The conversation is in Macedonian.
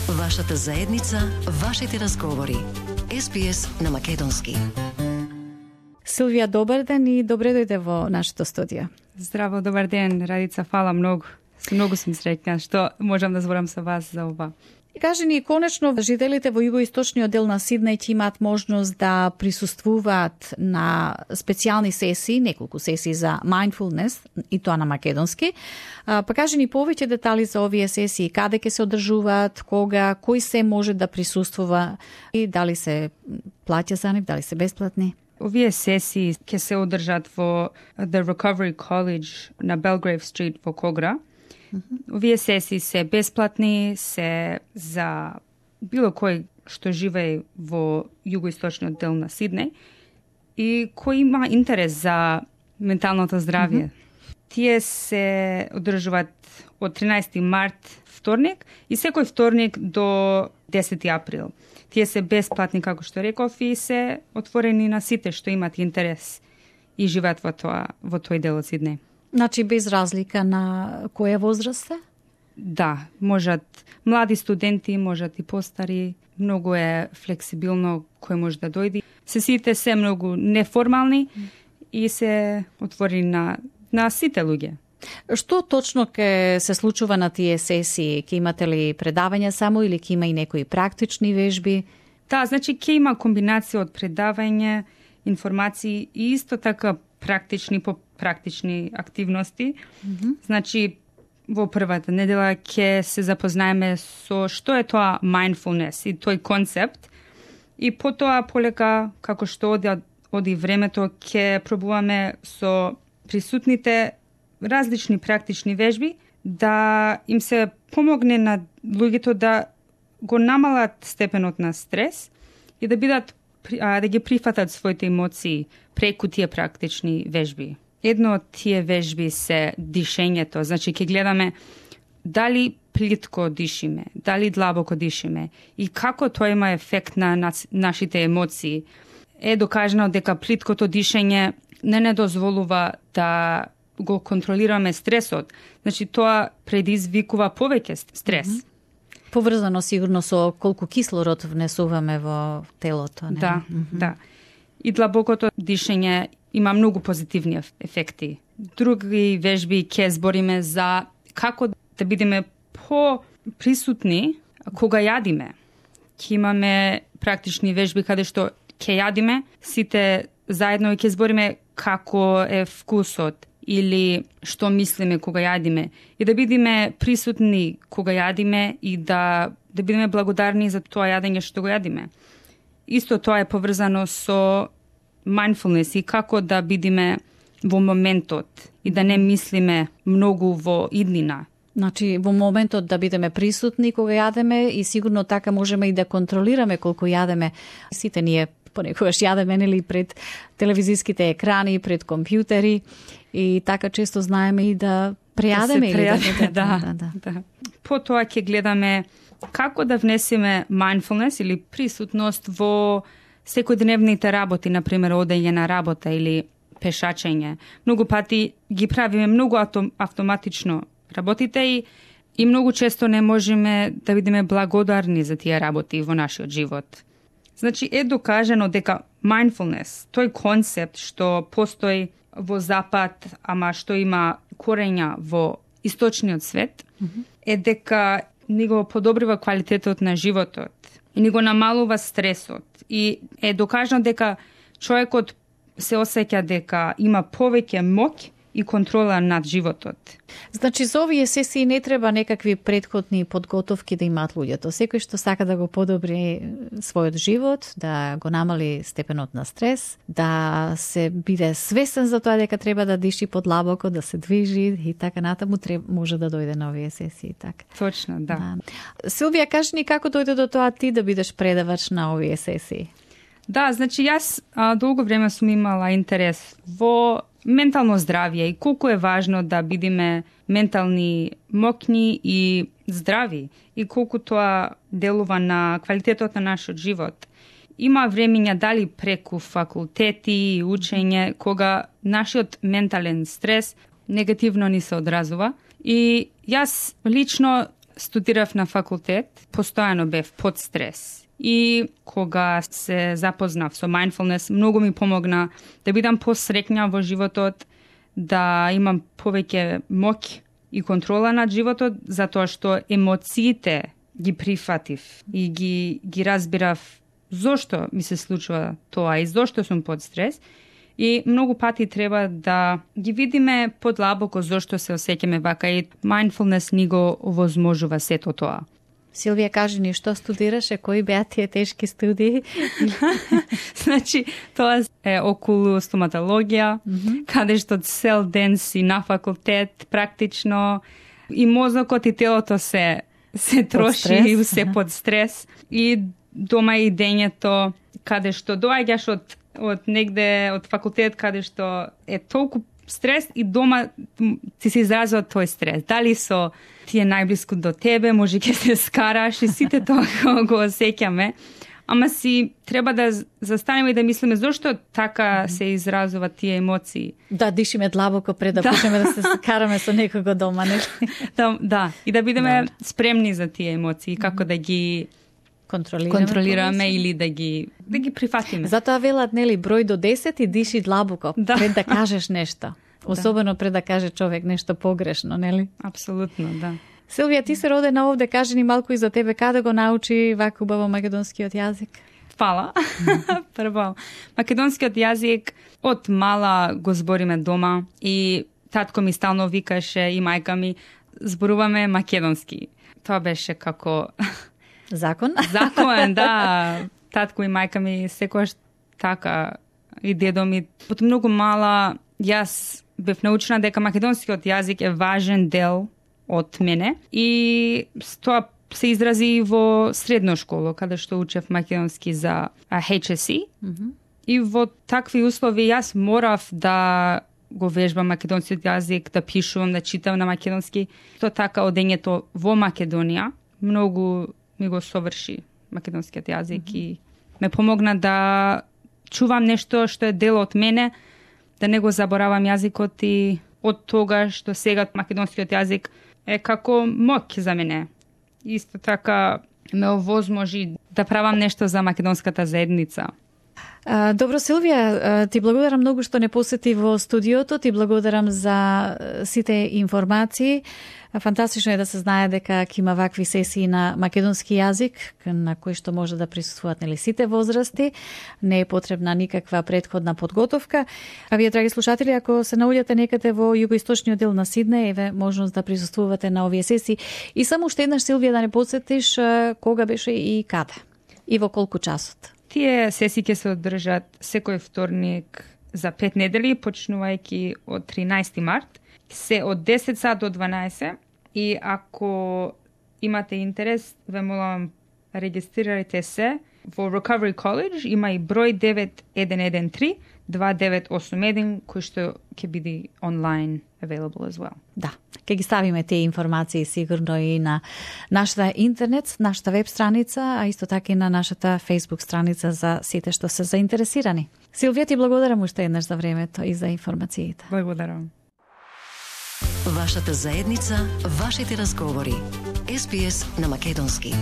Вашата заедница, вашите разговори. SBS на македонски. Силвија, добар ден и добре дојде во нашето студио. Здраво, добар ден, Радица, фала многу. Многу сум среќна што можам да зборам со вас за ова. Кажи ни, конечно, жителите во југоисточниот дел на Сиднеј ќе имаат можност да присуствуваат на специјални сесии, неколку сесии за mindfulness, и тоа на македонски. Па кажи ни повеќе детали за овие сесии, каде ќе се одржуваат, кога, кој се може да присуствува и дали се плаќа за нив, дали се бесплатни? Овие сесии ќе се одржат во The Recovery College на Belgrave Street во Когра. Овие сесии се бесплатни, се за било кој што живее во југоисточниот дел на Сиднеј и кој има интерес за менталното здравје. Тие се одржуваат од 13 март вторник и секој вторник до 10 април. Тие се бесплатни, како што реков, и се отворени на сите што имат интерес и живеат во тој дел од Сиднеј. Значи без разлика на која возраст се? Да, можат млади студенти, можат и постари, многу е флексибилно кој може да дојде. Сесиите се многу неформални и се отворени на сите луѓе. Што точно ќе се случува на тие сесии? Ќе имате ли предавања само или ќе има и некои практични вежби? Да, значи ќе има комбинација од предавање, информации и исто така практични активности. Значи, во првата недела ќе се запознаеме со што е тоа mindfulness и тој концепт. И потоа полека, како што оди времето, ќе пробуваме со присутните различни практични вежби да им се помогне на луѓето да го намалат степенот на стрес и да бидат да ги прифатат своите емоции преку тие практични вежби. Едно од тие вежби се дишењето, значи ќе гледаме дали плитко дишиме, дали длабоко дишиме и како тоа има ефект на нашите емоции. Е докажано дека плиткото дишење не дозволува да го контролираме стресот. Значи тоа предизвикува повеќе стрес. Поврзано сигурно со колку кислород внесуваме во телото, не? Да, да. И длабокото дишење има многу позитивни ефекти. Други вежби ќе збориме за како да бидеме по-присутни кога јадиме. Ќе имаме практични вежби каде што ќе јадиме, сите заедно ќе збориме како е вкусот или што мислиме кога јадиме и да бидеме присутни кога јадиме и да бидеме благодарни за тоа јадење што го јадиме. Исто тоа е поврзано со mindfulness и како да бидеме во моментот и да не мислиме многу во иднина. Значи, во моментот да бидеме присутни кога јадеме и сигурно така можеме и да контролираме колку јадеме. Сите ние понекогаш јадеме нели пред телевизиските екрани, пред компјутери и така често знаеме и да прејадеме да. Потоа ќе гледаме како да внесеме mindfulness или присутност во секојдневните работи, например одење на работа или пешачење. Многу пати ги правиме многу автоматично работите и многу често не можеме да бидеме благодарни за тие работи во нашиот живот. Значи е докажано дека mindfulness, тој концепт што постои во Запад, ама што има корења во источниот свет, е дека ни го подобрива квалитетот на животот и ни го намалува стресот. И е докажано дека човекот се осеќа дека има повеќе моќ и контрола над животот. Значи, за овие сесии не треба некакви претходни подготовки да имаат луѓето. Секој што сака да го подобри својот живот, да го намали степенот на стрес, да се биде свесен за тоа дека треба да диши подлабоко, да се движи и така натаму, може да дојде на овие сесии. Така. Точно, да. Силвија, кажи ни како дојде до тоа ти да бидеш предавач на овие сесии? Да, значи јас долго време сум имала интерес во ментално здравје и колку е важно да бидеме ментални моќни и здрави и колку тоа делува на квалитетот на нашиот живот. Има времења дали преку факултети и учење кога нашиот ментален стрес негативно ни се одразува и јас лично студирав на факултет, постојано бев под стрес. И кога се запознав со mindfulness, многу ми помогна да бидам посреќна во животот, да имам повеќе моќ и контрола над животот, затоа што емоциите ги прифатив и ги разбирав зошто ми се случува тоа и зошто сум под стрес. И многу пати треба да ги видиме подлабоко зошто се осеќаме вака и mindfulness ни го овозможува сето тоа. Силвија, кажи ни што студираше, кои беа тие тешки студии? Значи, тоа е околу стоматологија, каде што цел ден си на факултет, практично, и мозокот и телото се троши и се под стрес. И дома и дењето, каде што доаѓаш од негде, од факултет, каде што е толку стрес и дома ти се изразува тој стрес. Дали со ти е најблиску до тебе, може ќе се скараш и сите тоа го осеќаме. Ама си треба да застанеме и да мислиме зошто така се изразува тие емоции. Да, дишиме длабоко пред да почнеме да се скараме со некого дома, нели? Да, и да бидеме спремни за тие емоции, како да ги контролираме или да ги прифатиме. Затоа велат, нели, број до 10 и диши длабоко пред да кажеш нешто. Особено пред да каже човек нешто погрешно, нели? Апсолутно, да. Силвија, ти се родена овде, кажи ни малку и за тебе, каде го научи вака убаво македонскиот јазик? Фала. Прво, македонскиот јазик од мала го збориме дома и татко ми стално викаше и мајка ми зборуваме македонски. Тоа беше како закон? Закон, да. Татко и мајка ми секогаш така и дедо ми. Од многу мала јас бев научена дека македонскиот јазик е важен дел од мене и тоа се изрази во средно школо, каде што учев македонски за HSC. И во такви услови јас морав да го вежбам македонскиот јазик, да пишувам, да читам на македонски. Тоа така одењето во Македонија многу ми го соврши македонскиот јазик и ме помогна да чувам нешто што е дел од мене, да не го заборавам јазикот и од тогаш до сега македонскиот јазик е како моќ за мене. Исто така ме овозможи да правам нешто за македонската заедница. Добро, Силвија, ти благодарам многу што не посети во студиото, ти благодарам за сите информации. Фантастично е да се знае дека ќе има вакви сесии на македонски јазик, на кои што може да присуствуваат нели сите возрасти. Не е потребна никаква претходна подготовка. А вие, драги слушатели, ако се наоѓате некаде во југоисточниот дел на Сиднеј, еве можност да присуствувате на овие сесии. И само уште еднаш, Силвија, да не подсетиш кога беше и каде и во колку часот. Тие сесии ќе се одржат секој вторник за 5 недели, почнувајќи од 13 март. Се од 10 сат до 12 и ако имате интерес, ве молам, регистрирайте се во Recovery College, има и број 9113 2981 кој што ќе биде онлайн available as well. Да, ќе ги ставиме тие информации сигурно и на нашата интернет, нашата веб страница, а исто така и на нашата Facebook страница за сите што се заинтересирани. Силвија, ти благодарам уште еднаш за времето и за информациите. Благодарам. Вашата заедница, вашите разговори. SBS на македонски.